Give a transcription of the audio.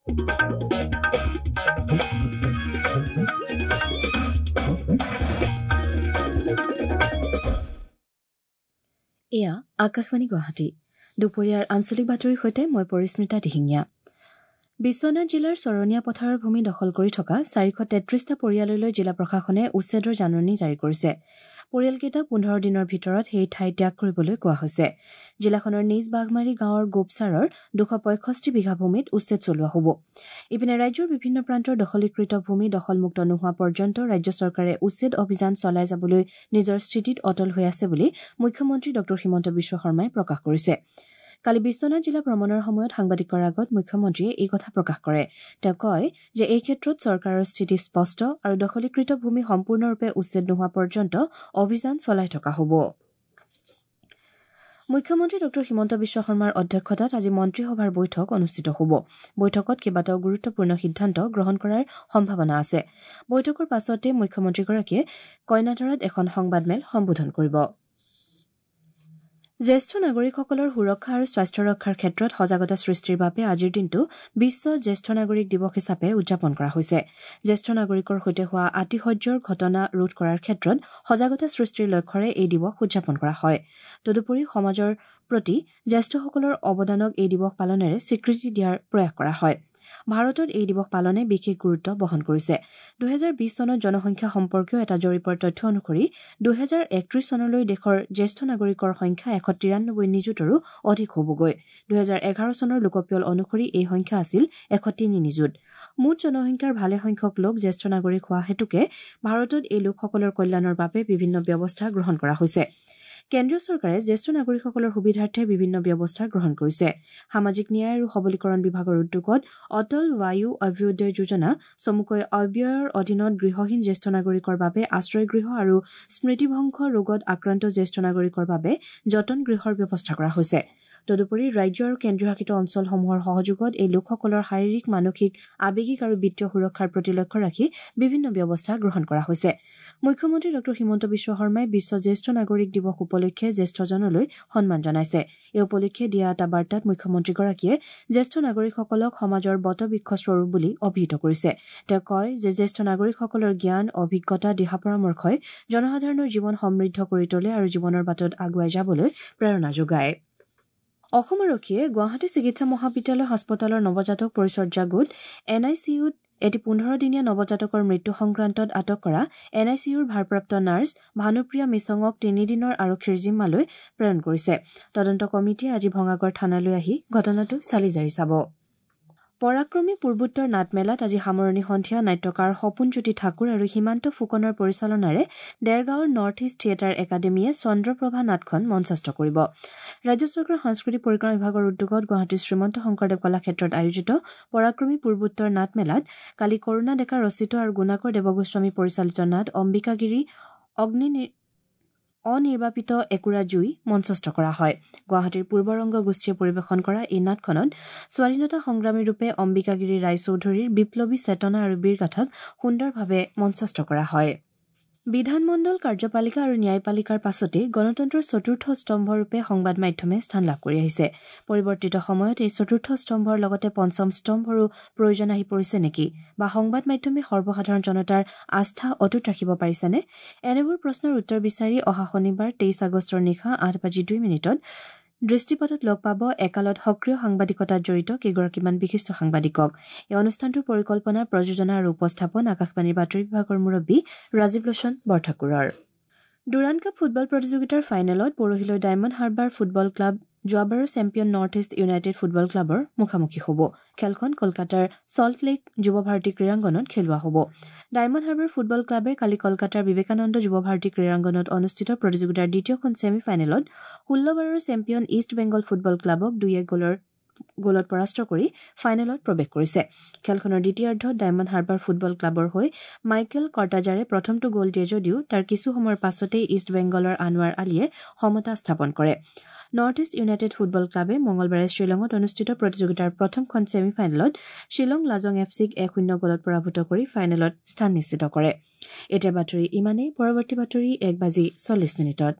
এয়া আকাশবাণী গুৱাহাটী। দুপৰীয়াৰ আঞ্চলিক বাতৰিৰ সৈতে মই পৰিস্মিতা দিহিঙীয়া। বিশ্বনাথ জিলাৰ চৰণীয়া পথাৰৰ ভূমি দখল কৰি থকা 433টা পৰিয়াললৈ জিলা প্ৰশাসনে উচ্ছেদৰ জাননী জাৰি কৰিছে। পৰিয়ালকেইটাক 15 দিনৰ ভিতৰত সেই ঠাই ত্যাগ কৰিবলৈ কোৱা হৈছে। জিলাখনৰ নিজ বাঘমাৰী গাঁৱৰ গোপচাৰৰ 265 বিঘা ভূমিত উচ্ছেদ চলোৱা হ'ব। ইপিনে ৰাজ্যৰ বিভিন্ন প্ৰান্তৰ দখলীকৃত ভূমি দখলমুক্ত নোহোৱা পৰ্যন্ত ৰাজ্য চৰকাৰে উচ্ছেদ অভিযান চলাই যাবলৈ নিজৰ স্থিতিত অটল হৈ আছে বুলি মুখ্যমন্ত্ৰী ড হিমন্ত বিশ্ব শৰ্মাই প্ৰকাশ কৰিছে। কালি বিশ্বনাথ জিলা ভ্ৰমণৰ সময়ত সাংবাদিকৰ আগত মুখ্যমন্ত্ৰীয়ে এই কথা প্ৰকাশ কৰে। তেওঁ কয় যে এই ক্ষেত্ৰত চৰকাৰৰ স্থিতি স্পষ্ট আৰু দখলীকৃত ভূমি সম্পূৰ্ণৰূপে উচ্ছেদ নোহোৱা পৰ্যন্ত অভিযান চলাই থকা হ'ব। মুখ্যমন্ত্ৰী ড হিমন্ত বিশ্ব শৰ্মাৰ অধ্যক্ষতাত আজি মন্ত্ৰীসভাৰ বৈঠক অনুষ্ঠিত হ'ব। বৈঠকত কেইবাটাও গুৰুত্বপূৰ্ণ সিদ্ধান্ত গ্ৰহণ কৰাৰ সম্ভাৱনা আছে। বৈঠকৰ পাছতে মুখ্যমন্ত্ৰীগৰাকীয়ে কইনাধৰাত এখন সংবাদমেল সম্বোধন কৰিব। জ্যেষ্ঠ নাগৰিকসকলৰ সুৰক্ষা আৰু স্বাস্থ্য ৰক্ষাৰ ক্ষেত্ৰত সজাগতা সৃষ্টিৰ বাবে আজিৰ দিনটো বিশ্ব জ্যেষ্ঠ নাগৰিক দিৱস হিচাপে উদযাপন কৰা হৈছে। জ্যেষ্ঠ নাগৰিকৰ সৈতে হোৱা আতিশয্যৰ ঘটনা ৰোধ কৰাৰ ক্ষেত্ৰত সজাগতা সৃষ্টিৰ লক্ষ্যৰে এই দিৱস উদযাপন কৰা হয়। তদুপৰি সমাজৰ প্ৰতি জ্যেষ্ঠসকলৰ অৱদানক এই দিৱস পালনেৰে স্বীকৃতি দিয়াৰ প্ৰয়াস কৰা হয়। ভাৰতত এই দিৱস পালনে বিশেষ গুৰুত্ব বহন কৰিছে। 2020 চনত জনসংখ্যা সম্পৰ্কীয় এটা জৰীপৰ তথ্য অনুসৰি 2031 চনলৈ দেশৰ জ্যেষ্ঠ নাগৰিকৰ সংখ্যা 193 নিযুতৰো অধিক হ'বগৈ। 2011 চনৰ লোকপিয়ল অনুসৰি এই সংখ্যা আছিল 103 নিযুত। মুঠ জনসংখ্যাৰ ভালেসংখ্যক লোক জ্যেষ্ঠ নাগৰিক হোৱা হেতুকে ভাৰতত এই লোকসকলৰ কল্যাণৰ বাবে বিভিন্ন ব্যৱস্থা গ্ৰহণ কৰা হৈছে। কেন্দ্ৰীয় চৰকাৰে জ্যেষ্ঠ নাগৰিকসকলৰ সুবিধাৰ্থে বিভিন্ন ব্যৱস্থা গ্ৰহণ কৰিছে। সামাজিক ন্যায় আৰু সবলীকৰণ বিভাগৰ উদ্যোগত অটল বায়ু অভ্যুদয় যোজনা চমুকৈ অব্যয়ৰ অধীনত গৃহহীন জ্যেষ্ঠ নাগৰিকৰ বাবে আশ্ৰয় গৃহ আৰু স্মৃতিভংশ ৰোগত আক্ৰান্ত জ্যেষ্ঠ নাগৰিকৰ বাবে যতন গৃহৰ ব্যৱস্থা কৰা হৈছে। তদুপৰি ৰাজ্য আৰু কেন্দ্ৰীয় শাসিত অঞ্চলসমূহৰ সহযোগত এই লোকসকলৰ শাৰীৰিক, মানসিক, আৱেগিক আৰু বিত্তীয় সুৰক্ষাৰ প্ৰতি লক্ষ্য ৰাখি বিভিন্ন ব্যৱস্থা গ্ৰহণ কৰা হৈছে। মুখ্যমন্ত্ৰী ড হিমন্ত বিশ্ব শৰ্মাই বিশ্ব জ্যেষ্ঠ নাগৰিক দিৱস উপলক্ষে জ্যেষ্ঠজনলৈ সন্মান জনাইছে। এই উপলক্ষে দিয়া এটা বাৰ্তাত মুখ্যমন্ত্ৰীগৰাকীয়ে জ্যেষ্ঠ নাগৰিকসকলক সমাজৰ বটবৃক্ষ স্বৰূপ বুলি অভিহিত কৰিছে। তেওঁ কয় যে জ্যেষ্ঠ নাগৰিকসকলৰ জ্ঞান, অভিজ্ঞতা, দিহা পৰামৰ্শই জনসাধাৰণৰ জীৱন সমৃদ্ধ কৰি তোলে আৰু জীৱনৰ বাটত আগুৱাই যাবলৈ প্ৰেৰণা যোগায়। অসম আৰক্ষীয়ে গুৱাহাটী চিকিৎসা মহাবিদ্যালয় হাস্পতালৰ নৱজাতক পৰিচৰ্যা গোট এন I C ইউত এটি 15 দিনীয়া নৱজাতকৰ মৃত্যু সংক্ৰান্তত আটক কৰা এন I C ইউৰ ভাৰপ্ৰাপ্ত নাৰ্ছ ভানুপ্ৰিয়া মিছঙক 3 দিনৰ আৰক্ষীৰ জিম্মালৈ প্ৰেৰণ কৰিছে। তদন্ত কমিটিয়ে আজি ভঙাগড় থানালৈ আহি ঘটনাটো চালি জাৰি চাব। পৰাক্ৰমী পূৰ্বোত্তৰ নাটমেলাত আজি সামৰণি সন্ধিয়া নাট্যকাৰ সপোনজ্যোতি ঠাকুৰ আৰু সীমান্ত ফুকনৰ পৰিচালনাৰে দেৰগাঁৱৰ নৰ্থ ইষ্ট থিয়েটাৰ একাডেমীয়ে চন্দ্ৰপ্ৰভা নাটখন মঞ্চস্থ কৰিব। ৰাজ্য চৰকাৰৰ সাংস্কৃতিক পৰিক্ৰমা বিভাগৰ উদ্যোগত গুৱাহাটীৰ শ্ৰীমন্ত শংকৰদেৱ কলাক্ষেত্ৰত আয়োজিত পৰাক্ৰমী পূৰ্বোত্তৰ নাটমেলাত কালি কৰুণা ডেকা ৰচিত আৰু গুণাকৰ দেৱগোস্বামী পৰিচালিত নাট অম্বিকাগিৰি অগ্নি অনিৰ্বাপিত একুৰা জুই মঞ্চস্থ কৰা হয়। গুৱাহাটীৰ পূৰ্বৰংগ গোষ্ঠীয়ে পৰিৱেশন কৰা এই নাটখনত স্বাধীনতা সংগ্ৰামীৰূপে অম্বিকাগিৰি ৰায়চৌধুৰীৰ বিপ্লৱী চেতনা আৰু বীৰগাথাক সুন্দৰভাৱে মঞ্চস্থ কৰা হয়। বিধানমণ্ডল, কাৰ্যপালিকা আৰু ন্যায়পালিকাৰ পাছতেই গণতন্ত্ৰৰ চতুৰ্থ স্তম্ভৰূপে সংবাদ মাধ্যমে স্থান লাভ কৰি আহিছে। পৰিৱৰ্তিত সময়ত এই চতুৰ্থ স্তম্ভৰ লগতে পঞ্চম স্তম্ভৰো প্ৰয়োজন আহি পৰিছে নেকি বা সংবাদ মাধ্যমে সৰ্বসাধাৰণ জনতাৰ আস্থা অটুট ৰাখিব পাৰিছেনে? এনেবোৰ প্ৰশ্নৰ উত্তৰ বিচাৰি অহা শনিবাৰ 23 আগষ্টৰ নিশা 8:02 দৃষ্টিপাতত লগ পাব একালত সক্ৰিয় সাংবাদিকতাত জড়িত কেইগৰাকীমান বিশিষ্ট সাংবাদিকক। এই অনুষ্ঠানটোৰ পৰিকল্পনা, প্ৰযোজনা আৰু উপস্থাপন আকাশবাণীৰ বাতৰি বিভাগৰ মুৰব্বী ৰাজীৱ লোচন বৰঠাকুৰৰ। ডুৰাণ্ড কাপ ফুটবল প্ৰতিযোগিতাৰ ফাইনেলত পৰহিলৈ ডায়মণ্ড হাৰ্বাৰ ফুটবল ক্লাব যোৱাবাৰৰ champion North East United football ক্লাবৰ মুখামুখি হ'ব। খেলখন কলকাতাৰ ছল্ট লেক যুৱ ভাৰতী ক্ৰীড়াংগনত খেলোৱা হ'ব। ডায়মণ্ড হাৰ্বাৰ ফুটবল ক্লাবে কালি কলকাতাৰ বিবেকানন্দ যুৱ ভাৰতী ক্ৰীড়াংগনত অনুষ্ঠিত প্ৰতিযোগিতাৰ দ্বিতীয়খন ছেমি ফাইনেলত 16বাৰৰ চেম্পিয়ন ইষ্ট বেংগল ফুটবল ক্লাবক 2-1 গ'লত পৰাস্ত কৰি ফাইনেলত প্ৰৱেশ কৰিছে। খেলখনৰ দ্বিতীয়াৰ্ধত ডায়মণ্ড হাৰ্বাৰ ফুটবল ক্লাবৰ হৈ মাইকেল কৰ্টাজাৰে প্ৰথমটো গ'ল দিয়ে যদিও তাৰ কিছু সময়ৰ পাছতেই ইষ্ট বেংগলৰ আনোৱাৰ আলীয়ে সমতা স্থাপন কৰে। নৰ্থ ইষ্ট ইউনাইটেড ফুটবল ক্লাবে মঙলবাৰে শ্বিলঙত অনুষ্ঠিত প্ৰতিযোগিতাৰ প্ৰথমখন ছেমি ফাইনেলত শ্বিলং লাজং এফ চিক 1-0 গ'লত পৰাভূত কৰি ফাইনেলত স্থান নিশ্চিত কৰে। এতিয়া বাতৰি ইমানেই। পৰৱৰ্তী বাতৰি 1:40।